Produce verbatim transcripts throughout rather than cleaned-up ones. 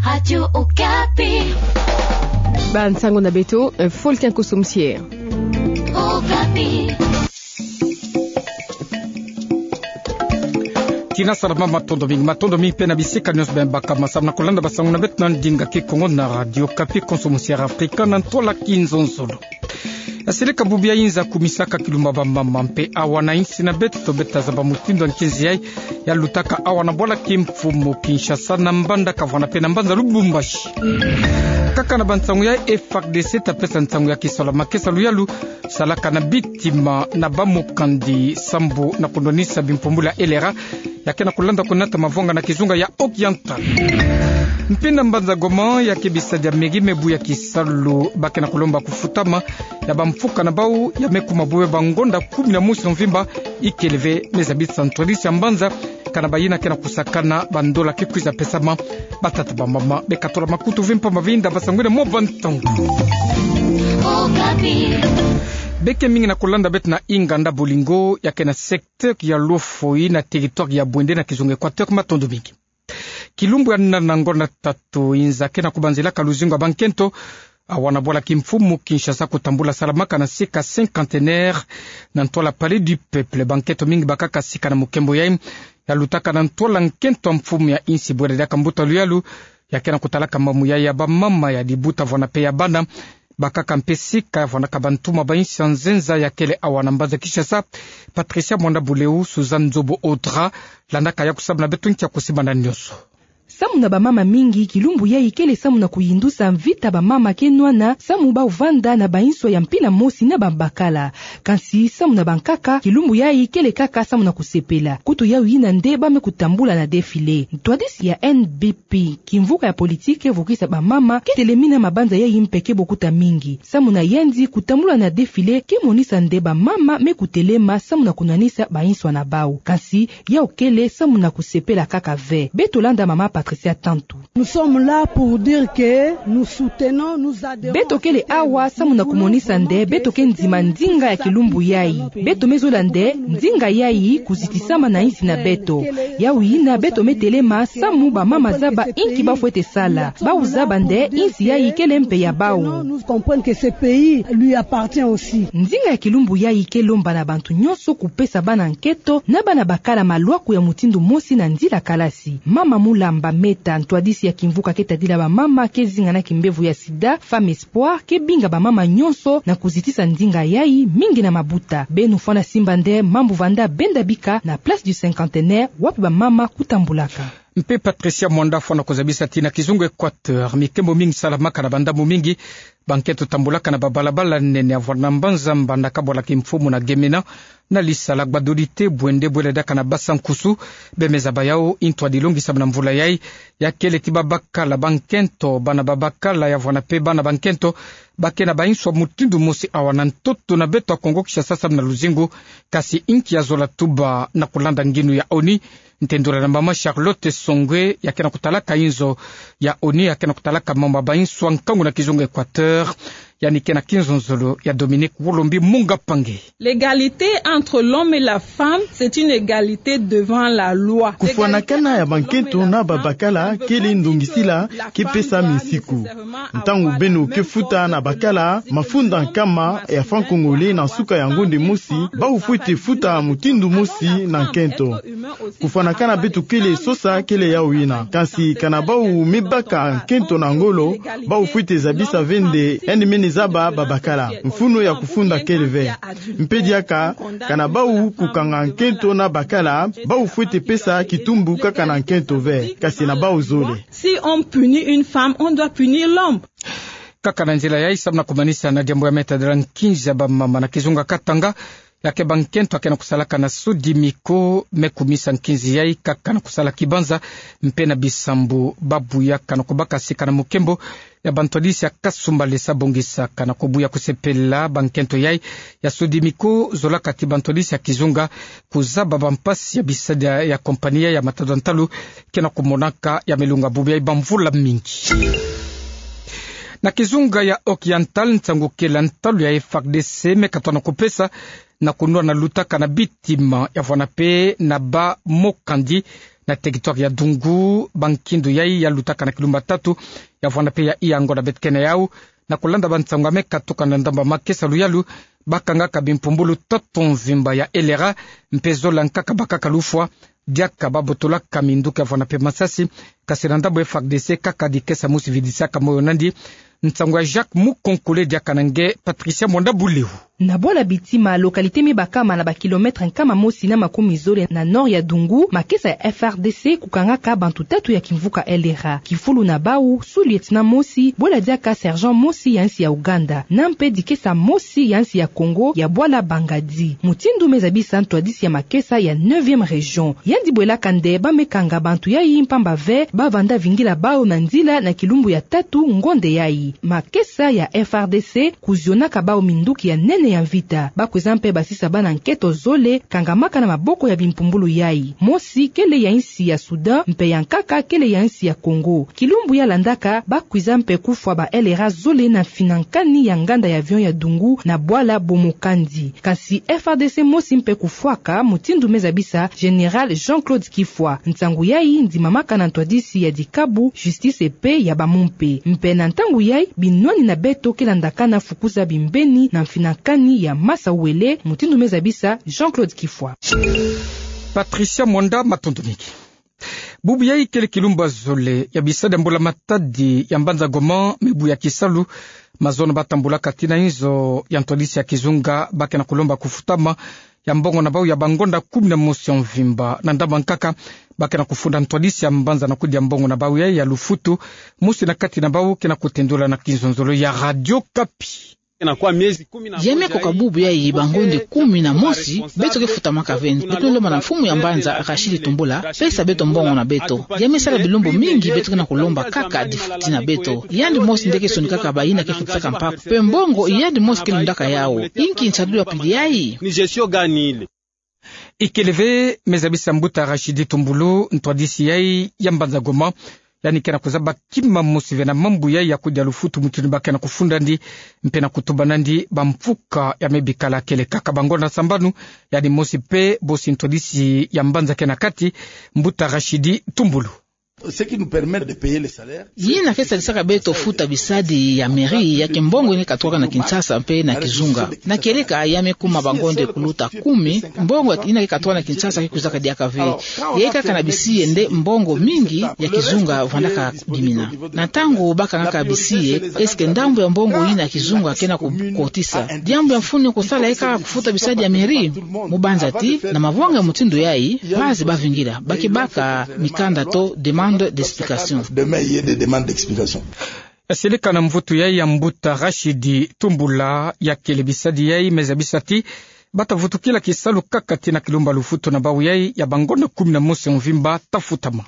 Radio Okapi. Bansango na beto, eh, Fulkin Kosso Msier. Okapi. Tina salama, matondo mingi, matondo mingi mpe na bisika nyonso beno baka ma samu na kulanda bansango na beto na ndinga Kikongo na Radio Okapi, Konso Mosier Afrika na ntwala kinzonzolo. Yaseleka bubu ya inza kumisaka kilumbu ya bamama mpe awa na insi na beto, beto tazaba mutindu ya nkinzi yai yalutaka awa na bwala kimfumu Kinshasa, na Mbandaka, vwanda mpe na mbanza Lubumbashi. Kaka na bansango yai, F A R D C tapesa nsangu ya kisalu ya makesa luyalu salaka na bitima na bamokandi sambu na kunwanisa bimpumbulu ya L R A, ya ke na kulanda kunata mavwanga na kizunga ya Oriental. Mpe na mbanza Goma, ya ke bisadi ya mairie me buya kisalu ba ke na kulomba kufutama ya bamfuka na bau ya me kuma bwe bangonda kumi na mosi ya mvimba, ikele ve me zabisa ntwadisi ya mbanza, kana bayina ke na kusakana bandola ke kwiza pesama batata bamama. Beka tola makutu ve mpamba ve inda basangwini mwa bantangu. Be ke mingi na kulanda beto na inganda Bolingo, ya ke na secteur ya Lofoi na territoire ya Bwende na kizunga Equateur. Matondo mingi. Kilumbu ya nana ngonda tatu inza ke na kubanzilaka luzingu ya bankento awa na bwala kimfumu Kinshasa kutambula salamaka na sika cinquantenaire na ntwala Palais du Peuple. Bankento mingi bakaka sika na mukembo yai, yalutaka na ntwala nkento ya mfumu ya insi bwela diaka mbuta luyalu, ya ke na kutalaka mambu yai ya bamama, ya dibuta vwanda mpe ya bana. Bakaka mpe sika ya vwandaka bantu ma bainsi ya nzenza ya kele awa na mbanza Kinshasa, Patricia Mwanda Buleu, Suzanne Nzobo Audra, landaka ya kusamu na beto nkia kusimana nyonso. Samu na bamama mingi, kilumbu yai kele samu na kuyindusa mvita bamama ke nwana, samu bau vanda na bainswa ya mpila mosi na babakala. Kansi samu na bankaka, kilumbu yai kele kaka samu na kusepela. Kutu yau yina nde ba me kutambula na défilé. Ntwadisi ya N B P, kimvuka ya politique vukisa bamama, ke telemina mabanza yai mpe ke bokuta mingi. Samu na yandi, kutambula na défilé ke monisa nde bamama me kutelema samu na kunwanisa bainswa na bau. Kansi yau kele samu na kusepela kaka ve. Beto landa mama Patricia Tantu. Nous sommes là pour dire que nous soutenons, nous adhérons. Beto kele awa samu na kumonisa nde beto ke ndima ndinga ya kilumbu yai. Beto me zola nde ndinga yai kuzitisama na insi na beto. Yau yina beto me telema samu bamama zaba inki ba fwete sala. Bau zaba nde insi yai kele mpe ya bau. Nous comprenons que ce pays lui appartient aussi. Ndinga ya kilumbu yai ke lomba na bantu nyonso kupesa bana nkento na bana bakala malwaku ya mutindu mosi na nzila kalasi. Mama Mulamba Meta, ntwadisi ya kimvuka ke tadila bamama ke zinga na kimbevo ya sida, Femme Espoir, ke binga bamama nyonso na kuzitisa ndinga yai, mingi na mabuta. Beno fwana simba nde mambu vanda benda bika na Place du Cinquantenaire, wapi bamama kutambulaka. Mpe Patricia Mwanda fwana kuzabisa ti na kizunga Equateur, mikembo mingi salamaka na bandambu mingi, bankento tambulaka na babalabala nene ya vwanda mbanza Mbandaka, bwala kimfumu na Gemena, na Lisala, Gbadolite, Bwende, bwela diaka na Basa-Nkusu. Be me zaba yau ntwadi longi samu na mvula yai, ya kele ti babakala bankento, bana babakala ya vwanda mpe bana bankento, ba ke na bainswa mutindu mosi awa na ntoto na beto ya Kongo Kinshasa samu na luzingu. Kasi inki ya zola tuba na kulanda nginu ya ONU? Ntendula na mama Charlotte Songwe, ya ke na kutalaka inzo ya ONU, ya ke na kutalaka mambu ya bainswa nkangu na kizunga Equateur, yandi ke na kinzonzolo ya Dominique Wolombi Munga Pange. L'égalité entre l'homme et la femme, c'est une égalité devant la loi. Kufwanakana ya bankento na babakala kele ndongisila ke pesa misiku. Ntangu beno ke futa na bakala mafunda nkama ya franc congolais na nsuka ya ngonde mosi, bau fwete futa mutindu mosi na nkento. Kufwanakana beto kele sosa kele yau yina. Kansi kana bau me baka nkento na ngolo, bau fwete zabisa ve nde yandi mene zaba babakala. Mfunu ya kufunda kele ve. Mpe diaka, kana bau kukanga nkento na bakala, bau fwete pesa kitumbu kaka na nkento ve. Kasi na bau zole. Si on punit une femme, on doit punir l'homme. Kaka na nzila yai, samu na kumanisa na diambu ya me tadila nkinzi ya bamama na kizunga Katanga, ya ke bankento ya ke na kusalaka na Sodimiko me kumisa nkinzi yai kaka na kusala kibanza mpe na bisambu ba buyaka na kubaka sika na mukembo ya bantwadisi ya Kasumbalesa. Bongisaka na kubuya kusepela, bankento yai ya Sodimiko zolaka ti bantwadisi ya kizunga kuzaba bampasi ya bisadi ya kompani ya matadwa ntalu ke na kumonaka ya me lunga bubu yai bamvula mingi. Na kizunga ya Oriental, nsangu kele ya ntalu ya F A R D C me katwa na kupesa na kunwana lutaka na bitima ya vwanda mpe na bamokandi Na territoire ya Dungu, bankindu yai ya lutaka na kilumbu tatu, ya vwanda mpe ya iya ngonda beto kena yau, na kulanda bansango ya me katuka na ndambu ya makesa luyalu, bakangaka bimpumbulu tatu mvimba ya L R A, mpe zola nkaka bakaka lufwa, diaka babotolaka minduki ya vwanda mpe masasi, kasi na ndambu ya F A R D C kaka dikesa mosi vidisaka moyo nandi. Nsango ya Jacques Mukonkole diaka na nge Patricia Mwanda Buleu. Na bwala Bitima, localité me bakama na ba kilomètre nkama mosi na makumi zole na nord ya Dungu, makesa ya F A R D C kukangaka bantu tatu ya kimvuka L R A. Kifulu na bau, sous-lieutenant mosi, bwala diaka sergent mosi ya nsi ya Ouganda, na mpe dikesa mosi ya nsi ya Congo, ya bwala Bangadi. Mutindu me zabisa ntwadisi ya makesa ya neuvième région. Yandi bwelaka nde ba me kanga bantu yai mpamba ve, ba vanda vingila bau na nzila na kilumbu ya tatu ngonda yai. Makesa ya F A R D C kuzionaka bau minduki ya nene ya mvita. Ba kwiza mpe basisa bana nketo zole kangamaka na maboko ya bimpumbulu yai. Mosi kele ya nsi ya Soudan, mpe ya nkaka kele ya nsi ya Congo. Kilumbu ya landaka, ba kwiza mpe kufwa ba L R A zole na mfina nkani ya nganda ya avion ya Dungu na bwala Bomokandi. Kasi F A R D C mosi mpe kufwaka, mutindu me zabisa Général Jean-Claude Kifwa. Nsangu yai ndimamaka na ntwadisi ya dikabu, justice mpe ya ba mumpe. Mpe na ntangu yai, binwani na beto ke landakana fukuza bimbeni na mfina nkani ya masa wele, mutindu me zabisa Jean-Claude Kifwa. Patricia Mwanda, matondo mingi. Bubu yai kele kilumbu ya zole ya bisadi ya mbula matadi ya mbanza Goma, mibu ya kisalu mazono batambulaka tii na inzo ya ntwadisi ya kizunga, ba ke na kulomba kufutama ya mbongo na bau ya bangonda kumi na mosi ya mvimba. Na ndambu ya nkaka, ba ke na kufunda ntwadisi ya mbanza na kudi ya mbongo na bau yai ya lufutu. Mosi na kati na bau ke na kutendula na kinzonzolo ya Radio Okapi. Ya me koka bubu yai bangonda kumi na mosi, beto ke futamaka ve. Beto ke lomba na mfumu ya mbanza Rachid Tumbula pesa beto mbongo na beto. Ya me sala bilumbu mingi beto ke na kulomba kaka adifuti na beto. Yandi mosi nde ke sonikaka bayina ke futisaka mpako. Mpe mbongo yandi mosi ke lundaka yau. Inki nsadulu ya pili yai? Ni gestion gani ile? Ikele ve, me zabisa mbuta Rachid Tumbula, ntwadisi yai ya mbanza Goma. Yandi ke na kuzaba kima mosi ve na mambu yai ya kudi ya lufutu, mutindu ba ke na kufunda ndi, mpe na kutuba nandi bamfuka ya me bikala kele kaka bangonda sambanu. Yandi mosi mpe bosi ntwadisi ya mbanza ke na kati, mbuta Rachid Tumbula. Ce qui nous permet de payer les salaires. Yina ke sadisaka beto futa bisadi ya mairie, ya ke mbongo yina ke katwaka na Kinshasa mpe na kizunga. Na kieleka ya me kuma bangonda kuluta kumi, mbongo yina ke katwaka na Kinshasa ke kwizaka diaka ve. Yai kaka na bisi ye nde mbongo mingi ya kizunga vandaka bimina. Na ntangu ba kangaka bisi ye, est-ce que ndambu ya mbongo yina ya kizunga ke na kukotisa? Diambu ya mfunu kusala yai kaka kufuta bisadi ya mairie? Mu banza ti, na mavanga ya mutindu yai, bazi ba vingila, ba ke baka mikanda to demande d'explication. Demain, il y a des demandes d'explication. Seleka na mvutu yai ya mbuta Rachid Tumbula, ya kele bisadi yai me zabisa ti ba ta vutukila kisalu kaka tii na kilumbu ya lufutu na bau yai ya bangonda kumi na mosi ya mvimba ta futama.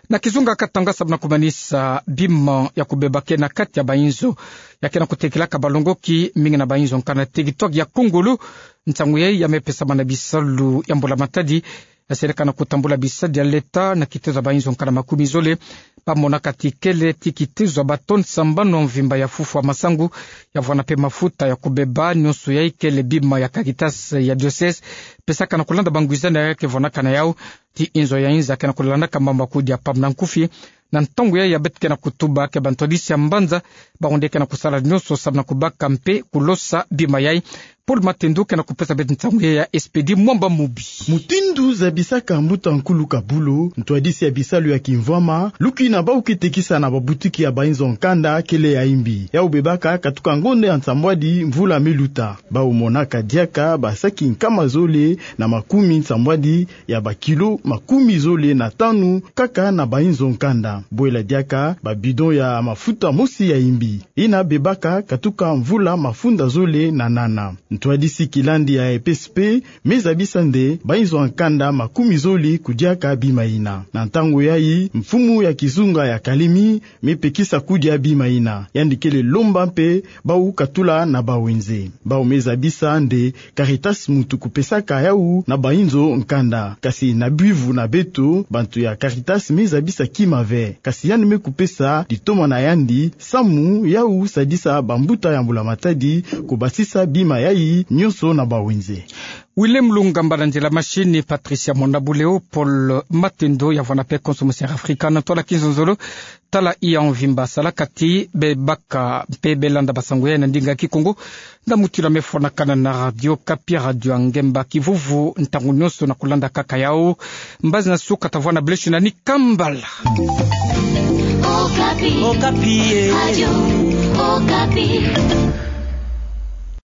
Na kizunga Katanga, samu na kumanisa bima ya kubeba ke na kati ya bainzo ya ke na kutekilaka balongoki mingi na bainzo nkanda na territoire ya Kongolo. Nsangu yai ya me pesama na bisalu ya mbula matadi ya seleka na kutambula bisadi ya leta na kitezo ya bainzo nkanda makumi zole. Ba monaka ti kele ti kitezo ya ba tonnes sambanu ya mvimba ya fufu ya masangu, ya vwanda mpe mafuta ya kubeba, nionso yai kele bima ya Caritas ya diocèse pesaka na kulanda bangwizani ya ke vwandaka na yau. Ti inzo ya inza ke na kulandaka mambu ya kudi ya pamba na nkufi. Na ntangu yai ya beto ke na kutuba ke bantwadisi ya mbanza, bawu nde ke na kusala nionso samu na kubaka mpe kulosa bima yai. Paul Matendo ke na kupesa beto nsangu yai ya Expedit Mwamba Mubi. Mutindu zabisaka mbuta nkulu Kabulo, ntwadisi ya bisalu ya kimvwama, luki na bawu ke tekisa na babutiki ya bainzo nkanda kele ya imbi. Yawu bebaka katuka ngonda ya nsambwadi mvula me luta. Bawu monaka diaka basaki nkama zole na makumi nsambwadi ya bakilo makumi zole na tanu kaka na bainzo nkanda. Bwela diaka babidon ya mafuta mosi ya imbi, yina bebaka katuka mvula mafunda zole na nana. Ntwadisi kilandi ya E P S P me zabisa nde bainzo ya nkanda makumi zole kudiaka bima yina. Na ntangu yai, mfumu ya kizunga ya Kalemi me pekisa kudia bima yina. Yandi kele lomba mpe bawu katula na bawenze. Bawu me zabisa nde Caritas muntu kupesaka yawu na bainzo nkanda. Kasi na bwivu na beto, bantu ya Caritas me zabisa kima ve. Kasi yandi me kupesa litoma na yandi samu yawu sadisa bambuta ya mbula matadi kubasisa bima yai nionso na bawenze. Wilem Lungamba na nzila machine, Patricia Mona Buleo, Paul Matendo ya vwanape Konso Matière Africaine, tala ki nzonzolo, tala iya mvimba salakati, be baka mpe be landa basango ya na ndinga Kikongo, na muti la mefwanakana na Radio Okapi, Radio ya Ngemba Kivuvu, ntangu nyonso na kulanda kaka yao, mbazi na suka ta vwa na blessing na ni kambala. Okapi. Okapi, eh. Radio Okapi.